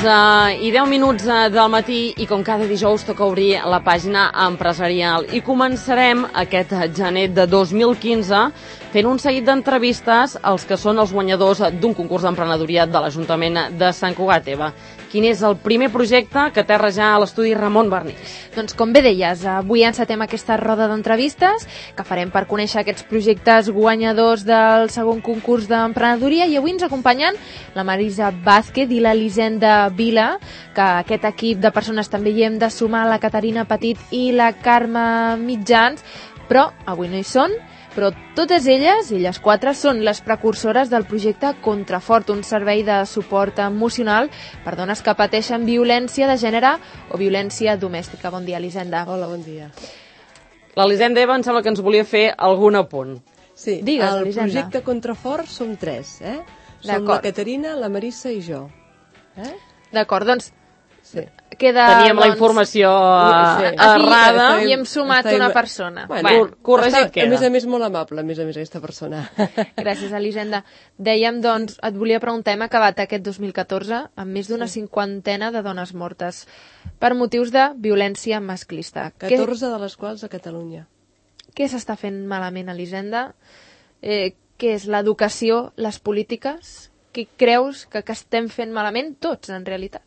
11:10 del matí i com cada dijous toca obrir la pàgina empresarial. I començarem aquest gener de 2015 fent un seguit d'entrevistes als que són els guanyadors d'un concurs d'emprenedoria de l'Ajuntament de Sant Cugat. Eva, quin és el primer projecte que aterra ja a l'estudi Ramon Barnils? Doncs com bé deies, avui encetem aquesta roda d'entrevistes que farem per conèixer aquests projectes guanyadors del segon concurs d'emprenedoria, i avui ens acompanyen la Marisa Vázquez i l'Elisenda Vila, que aquest equip de persones també hi hem de sumar la Caterina Petit i la Carme Mitjans, però avui no hi són. Però totes elles quatre, són les precursores del projecte Contrafort, un servei de suport emocional per dones que pateixen violència de gènere o violència domèstica. Bon dia, Elisenda. Hola, bon dia. L'Elisenda, Eva, em sembla que ens volia fer algun apunt. Sí, digues, el Elisenda. projecte Contrafort som 3, Som la Caterina, la Marissa i jo. D'acord, doncs Sí. Teníem la informació errada i hem sumat una persona. Bueno, corregit queda. A més, molt amable, a més, aquesta persona. Gràcies, Elisenda. Dèiem, doncs, et volia preguntar, hem acabat aquest 2014 amb més d'una cinquantena de dones mortes per motius de violència masclista. 14 de les quals a Catalunya. Què s'està fent malament, Elisenda? Què és l'educació, les polítiques? Què creus que estem fent malament tots, en realitat?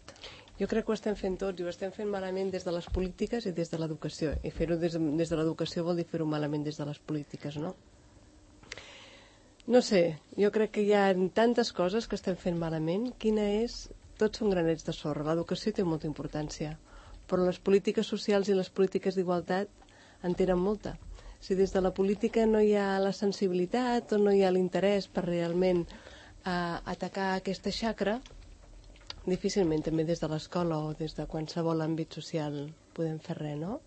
Jo crec que ho estem fent tots i ho estem fent malament des de les polítiques i des de l'educació. I fer-ho des de l'educació vol dir fer-ho malament des de les polítiques, no? No sé, jo crec que hi ha tantes coses que estem fent malament. Quina és? Tots són granets de sorra. L'educació té molta importància, però les polítiques socials i les polítiques d'igualtat en tenen molta. Si des de la política no hi ha la sensibilitat o no hi ha l'interès per realment atacar aquesta xacra, difícilment també des de l'escola o des de qualsevol àmbit social podem fer res, no?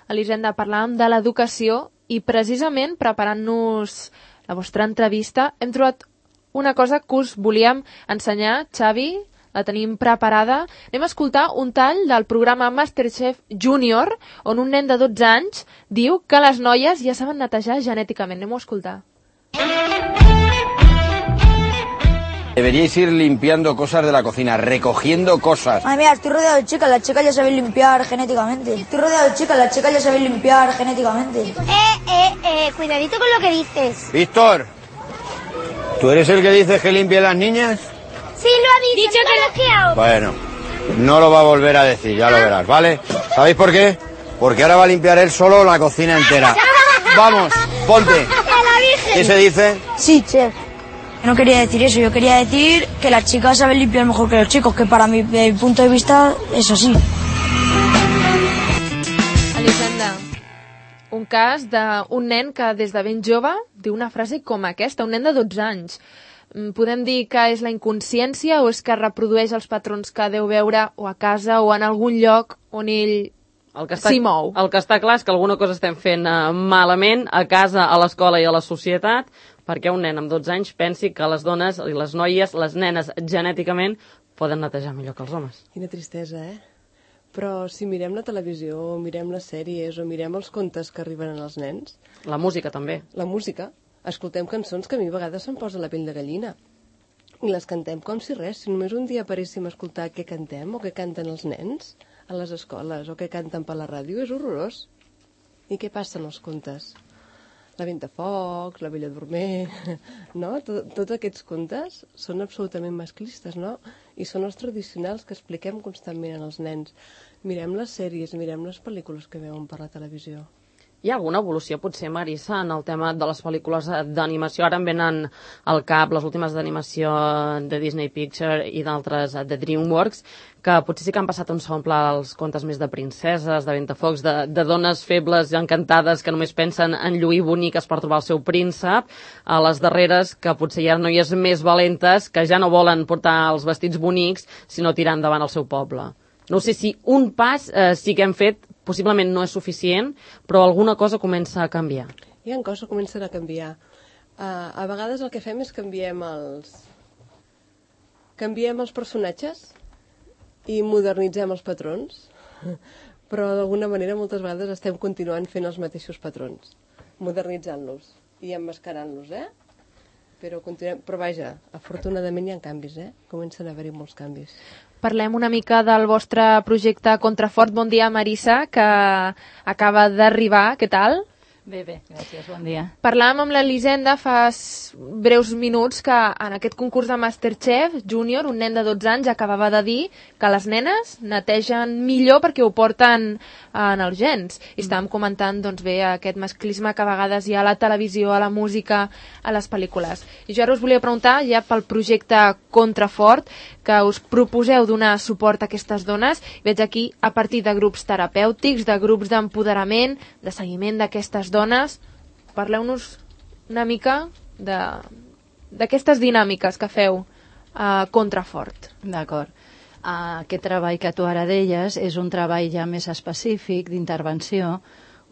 Elisenda, parlàvem de l'educació i precisament preparant-nos la vostra entrevista hem trobat una cosa que us volíem ensenyar. Xavi, la tenim preparada. Anem a escoltar un tall del programa Masterchef Junior on un nen de 12 anys diu que les noies ja saben netejar genèticament. Anem-ho a escoltar. Deberíais ir limpiando cosas de la cocina, recogiendo cosas. Ay, mira, estoy rodeado de chicas, las chicas ya saben limpiar genéticamente. Estoy rodeado de chicas, las chicas ya saben limpiar genéticamente. Cuidadito con lo que dices. Víctor, ¿tú eres el que dices que limpie las niñas? Sí, lo ha dicho que lo... Bueno, no lo va a volver a decir, ya lo verás, ¿vale? ¿Sabéis por qué? Porque ahora va a limpiar él solo la cocina entera. Vamos, ponte. ¿Qué se dice? Sí, chef. No quería decir eso, yo quería decir que las chicas saben limpiar mejor que los chicos, que para mi punto de vista es así. Elisenda, un cas d'un nen que des de ben jove diu una frase com aquesta, un nen de 12 anys. Podem dir que és la inconsciència o és que reprodueix els patrons que deu veure o a casa o en algun lloc on ell s'hi mou? El que està clar és que alguna cosa estem fent malament a casa, a l'escola i a la societat, perquè un nen amb 12 anys pensi que les dones i les noies, les nenes genèticament, poden netejar millor que els homes. Quina tristesa, Però si mirem la televisió, o mirem les sèries, o mirem els contes que arriben als nens... La música també. La música. Escoltem cançons que a mi a vegades se'm posa la pell de gallina. I les cantem com si res. Si només un dia paréssim a escoltar què cantem o què canten els nens a les escoles o què canten per la ràdio, és horrorós. I què passa en els contes? La Ventafocs, la Bella Dormer, no? Tots aquests contes són absolutament masclistes, no? I són els tradicionals que expliquem constantment als nens. Mirem les sèries, mirem les pel·lícules que veuen per la televisió. Hi ha alguna evolució, potser, Marissa, en el tema de les pel·lícules d'animació? Ara em venen al cap les últimes d'animació de Disney Pictures i d'altres de DreamWorks, que potser sí que han passat un segon pla als contes més de princeses, de Ventafocs, de dones febles i encantades que només pensen en lluir boniques per trobar el seu príncep, a les darreres que potser hi ha noies més valentes que ja no volen portar els vestits bonics, sinó tirar endavant el seu poble. No sé si un pas sí que hem fet, possiblement no és suficient, però alguna cosa comença a canviar. Hi ha coses que comencen a canviar. A vegades el que fem és canviem els personatges i modernitzem els patrons, però d'alguna manera moltes vegades estem continuant fent els mateixos patrons, modernitzant-los i emmascarant-los, però vaja, afortunadament hi ha canvis, comencen a haver-hi molts canvis. Parlem una mica del vostre projecte Contrafort. Bon dia, Marissa, que acaba d'arribar. Què tal? Bé, gràcies, bon dia. Parlàvem amb l'Elisenda fa breus minuts que en aquest concurs de Masterchef Júnior, un nen de 12 anys acabava de dir que les nenes netegen millor perquè ho porten en els gens. I estàvem comentant doncs, bé aquest masclisme que a vegades hi ha a la televisió, a la música, a les pel·lícules. I jo ara us volia preguntar, ja pel projecte Contrafort, que us proposeu donar suport a aquestes dones. Veig aquí a partir de grups terapèutics, de grups d'empoderament, de seguiment d'aquestes dones. Parleu-nos una mica d'aquestes dinàmiques que feu a Contrafort. D'acord. Aquest treball que tu ara deies és un treball ja més específic d'intervenció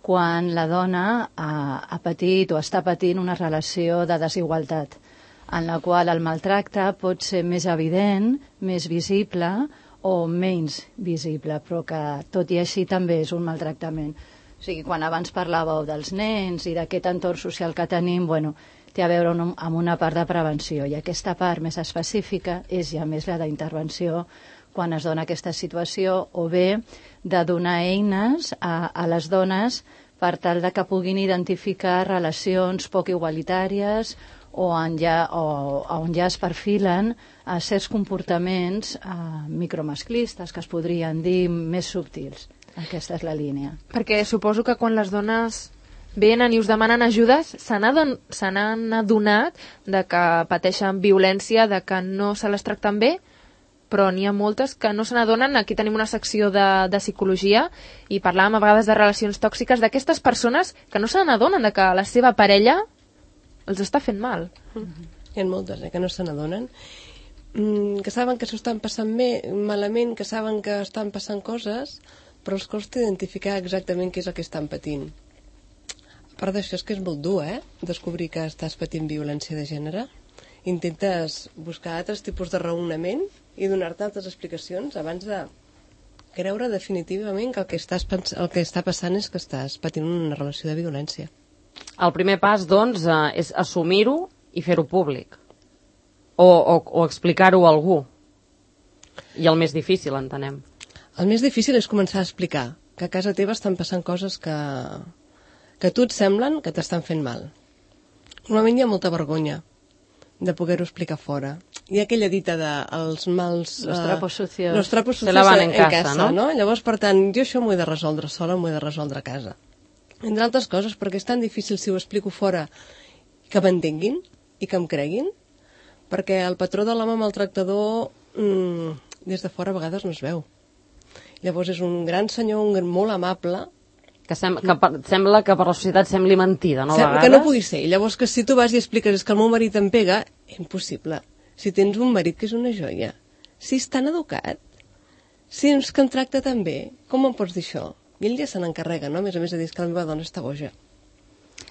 quan la dona ha patit o està patint una relació de desigualtat en la qual el maltracte pot ser més evident, més visible o menys visible, però que tot i així també és un maltractament. O sigui, quan abans parlàveu dels nens i d'aquest entorn social que tenim, té a veure amb una part de prevenció, i aquesta part més específica és ja més la d'intervenció quan es dona aquesta situació, o bé de donar eines a les dones per tal de que puguin identificar relacions poc igualitàries o on ja es perfilen certs comportaments micromasclistes, que es podrien dir més subtils. Aquesta és la línia. Perquè suposo que quan les dones venen i us demanen ajudes, se n'han adonat de que pateixen violència, de que no se les tracten bé, però n'hi ha moltes que no se n'adonen. Aquí tenim una secció de psicologia i parlàvem a vegades de relacions tòxiques, d'aquestes persones que no se n'adonen de que la seva parella els està fent mal. Hi ha moltes que no se n'adonen, que saben que s'ho estan passant malament, que saben que estan passant coses, però els costa identificar exactament què és el que estan patint. A part d'això, és que és molt dur, descobrir que estàs patint violència de gènere. Intentes buscar altres tipus de raonament i donar-te altres explicacions abans de creure definitivament que el que està passant és que estàs patint una relació de violència. El primer pas, doncs, és assumir-ho i fer-ho públic. O explicar-ho a algú. I el més difícil, entenem. El més difícil és començar a explicar que a casa teva estan passant coses que a tu et semblen que t'estan fent mal. Normalment hi ha molta vergonya de poder-ho explicar fora. Hi ha aquella dita de els mals... Los trapos sucios. Los trapos sucios se lavan en casa, no? Llavors, per tant, jo això m'ho he de resoldre sola, m'ho he de resoldre a casa. Entre altres coses, perquè és tan difícil si ho explico fora que m'entenguin i que em creguin, perquè el patró de l'home maltractador des de fora a vegades no es veu. Llavors és un gran senyor, molt amable, que sembla que per la societat sembli mentida, no? Sembla que no pugui ser. Llavors que si tu vas i expliques és que el meu marit em pega, impossible. Si tens un marit que és una joia, si és tan educat, si és que em tracta tan bé, com em pots dir això? I ell ja se n'encarrega, no? A més de dir que la meva dona està boja.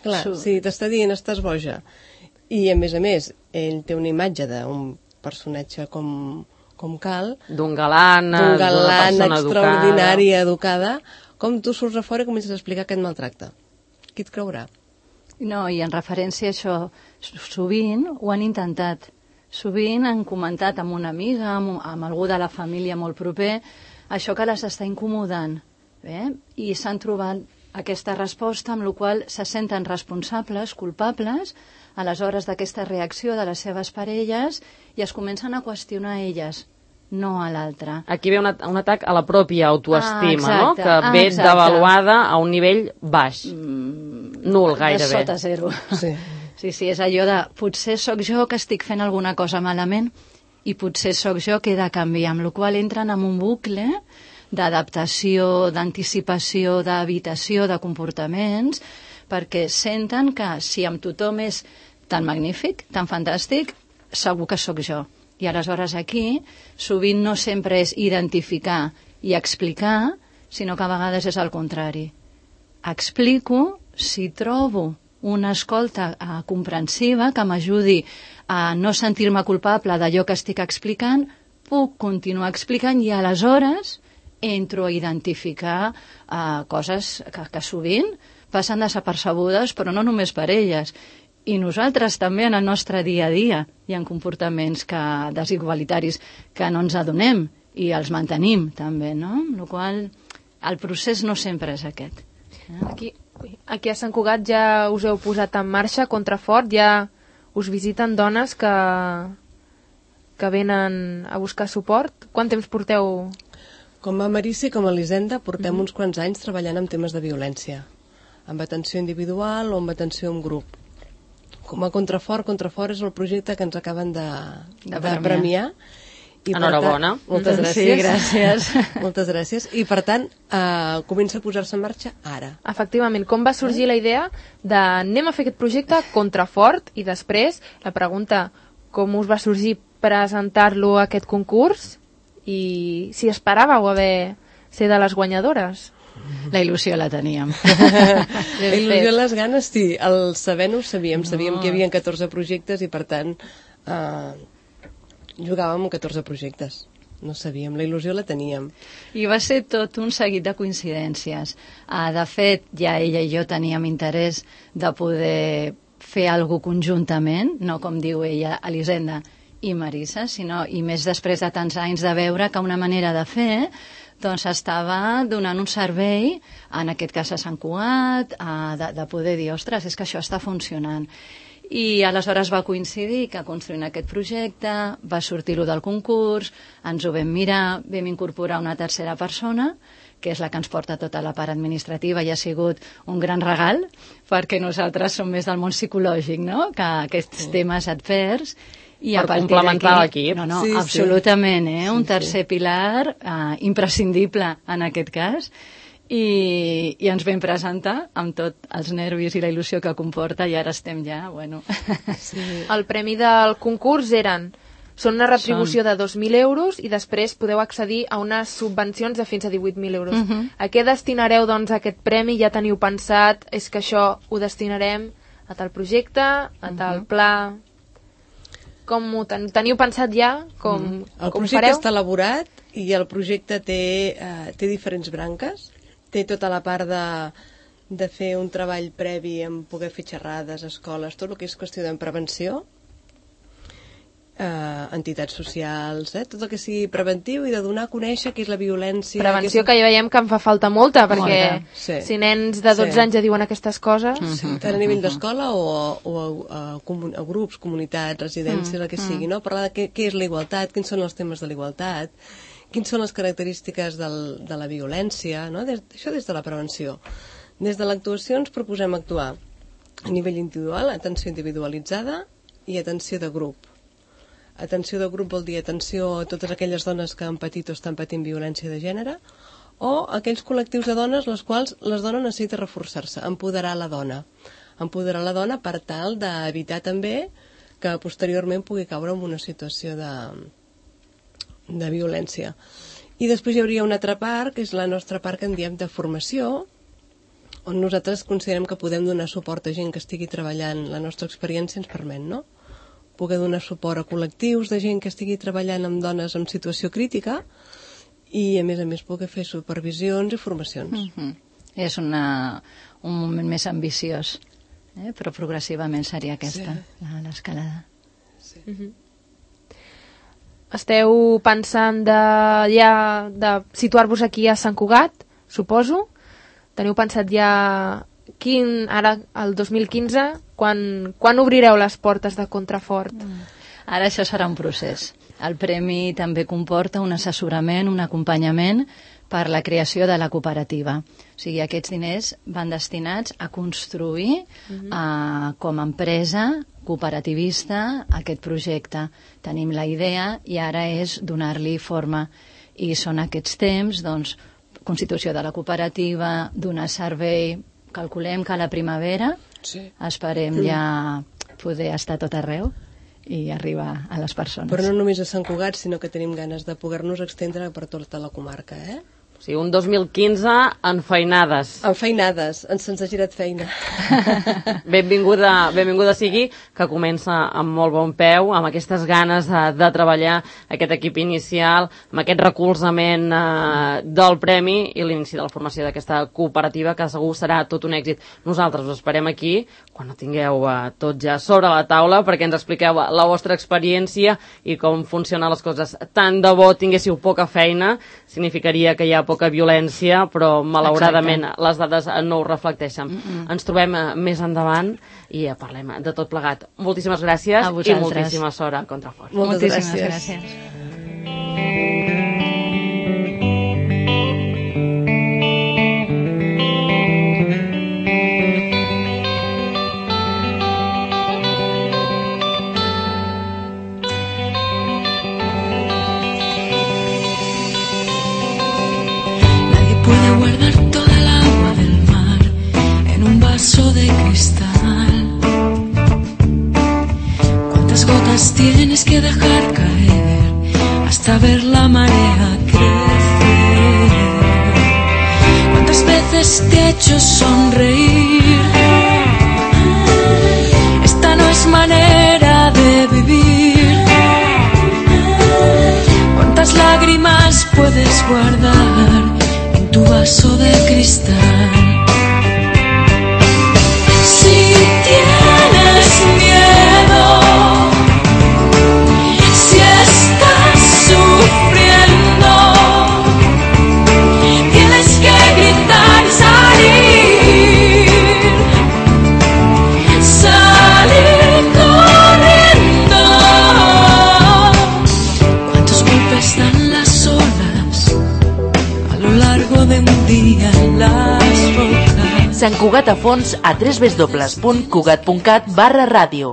Clar, si t'està dient estàs boja, i a més, ell té una imatge d'un personatge com cal, d'un galant extraordinari, educada, com tu surts a fora i comences a explicar que et maltracta. Qui et creurà? No, i en referència a això, sovint ho han intentat. Sovint han comentat amb una amiga, amb algú de la família molt proper, això que les està incomodant. I s'han trobat aquesta resposta amb la qual se senten responsables, culpables, aleshores d'aquesta reacció de les seves parelles, i es comencen a qüestionar elles, no a l'altre. Aquí ve un atac a la pròpia autoestima, no? Que ve devaluada a un nivell baix, nul gairebé. De sota zero. Sí, és allò de potser sóc jo que estic fent alguna cosa malament i potser sóc jo que he de canviar, amb la qual entren en un bucle d'adaptació, d'anticipació, d'evitació de comportaments, perquè senten que si amb tothom és tan magnífic, tan fantàstic, segur que sóc jo. I aleshores aquí sovint no sempre és identificar i explicar, sinó que a vegades és el contrari. Explico si trobo una escolta comprensiva que m'ajudi a no sentir-me culpable d'allò que estic explicant, puc continuar explicant i aleshores entro a identificar coses que sovint passen desapercebudes, però no només per elles. I nosaltres també en el nostre dia a dia hi ha comportaments desigualitaris que no ens adonem i els mantenim també, no? Amb la qual el procés no sempre és aquest. Aquí a Sant Cugat ja us heu posat en marxa Contrafort, ja us visiten dones que venen a buscar suport. Quant temps porteu? Com a Marissa i com a Elisenda portem uns quants anys treballant amb temes de violència, amb atenció individual o amb atenció en grup. Com a Contrafort és el projecte que ens acaben de premiar. I enhorabona. Moltes gràcies. Sí, gràcies. Moltes gràcies. I per tant, comença a posar-se en marxa ara. Efectivament, com va sorgir la idea de anem a fer aquest projecte Contrafort i després la pregunta com us va sorgir presentar-lo a aquest concurs i si esperàveu ser de les guanyadores? La il·lusió la teníem. La il·lusió i les ganes, sí. El saber-ho sabíem. Sabíem que hi havia 14 projectes i, per tant, jugàvem amb 14 projectes. No sabíem, la il·lusió la teníem. I va ser tot un seguit de coincidències. De fet, ja ella i jo teníem interès de poder fer alguna cosa conjuntament, no com diu ella, Elisenda i Marissa, sinó, i més després de tants anys de veure que una manera de fer doncs estava donant un servei, en aquest cas a Sant Cugat, de poder dir, ostres, és que això està funcionant. I aleshores va coincidir que construint aquest projecte va sortir-lo del concurs, ens ho vam mirar, vam incorporar una tercera persona, que és la que ens porta tota la part administrativa i ha sigut un gran regal, perquè nosaltres som més del món psicològic, no?, que aquests temes advers. I per complementar l'equip. No, sí, absolutament, un tercer pilar imprescindible en aquest cas. I ens vam presentar amb tots els nervis i la il·lusió que comporta i ara estem ja, bueno... Sí. El premi del concurs són una retribució de 2.000 euros i després podeu accedir a unes subvencions de fins a 18.000 euros. A què destinareu, doncs, aquest premi? Ja teniu pensat, és que això ho destinarem a tal projecte, a tal pla... Com ho teniu pensat ja? El projecte està elaborat i el projecte té diferents branques. Té tota la part de fer un treball previ en poder fer xerrades, escoles, tot el que és qüestió de prevenció, entitats socials, tot el que sigui preventiu i de donar a conèixer què és la violència. Prevenció que ja veiem que em fa falta molta, perquè si nens de 12 anys ja diuen aquestes coses... Tant a nivell d'escola o a grups, comunitats, residències, el que sigui, no? Parlar de què és la igualtat, quins són els temes de la igualtat, quins són les característiques de la violència, no? Això des de la prevenció. Des de l'actuació ens proposem actuar a nivell individual, atenció individualitzada i atenció de grup. Atenció de grup vol dir atenció a totes aquelles dones que han patit o estan patint violència de gènere o aquells col·lectius de dones les quals les dones necessiten reforçar-se, empoderar la dona. Empoderar la dona per tal d'evitar també que posteriorment pugui caure en una situació de violència. I després hi hauria una altra part, que és la nostra part que en diem de formació, on nosaltres considerem que podem donar suport a gent que estigui treballant, la nostra experiència ens permet, no?, poder donar suport a col·lectius de gent que estigui treballant amb dones en situació crítica i, a més, poder fer supervisions i formacions. És un moment més ambiciós, però progressivament seria aquesta, l'escalada. Sí. Esteu pensant de situar-vos aquí a Sant Cugat, suposo? Teniu pensat ja ara, el 2015, quan obrireu les portes de Contrafort? Ara això serà un procés. El premi també comporta un assessorament, un acompanyament per la creació de la cooperativa. O sigui, aquests diners van destinats a construir com a empresa cooperativista aquest projecte. Tenim la idea i ara és donar-li forma. I són aquests temps, doncs, constitució de la cooperativa, donar servei. Calculem que a la primavera esperem ja poder estar tot arreu i arribar a les persones. Però no només a Sant Cugat, sinó que tenim ganes de poder-nos extendre per tota la comarca, O sigui, un 2015 enfeinades. Enfeinades, se'ns ha girat feina. Benvinguda sigui, que comença amb molt bon peu, amb aquestes ganes de treballar aquest equip inicial, amb aquest recolzament del premi i l'inici de la formació d'aquesta cooperativa, que segur serà tot un èxit. Nosaltres us esperem aquí, quan ho tingueu tot ja sobre la taula, perquè ens expliqueu la vostra experiència i com funcionen les coses. Tant de bo tinguéssiu poca feina, significaria que hi ha poca violència, però malauradament les dades no ho reflecteixen. Ens trobem més endavant i parlem de tot plegat. Moltíssimes gràcies i moltíssima sort a Contrafort. Moltíssimes gràcies. De cristal. ¿Cuántas gotas tienes que dejar caer hasta ver la marea crecer? ¿Cuántas veces te he hecho sonreír? Esta no es manera de vivir. ¿Cuántas lágrimas puedes guardar en tu vaso de cristal? Si tienes miedo, si estás sufriendo, tienes que gritar y salir corriendo. ¿Cuántos golpes dan las olas a lo largo de un día en las rocas? Sant Cugat a fons a www.cugat.cat/ràdio.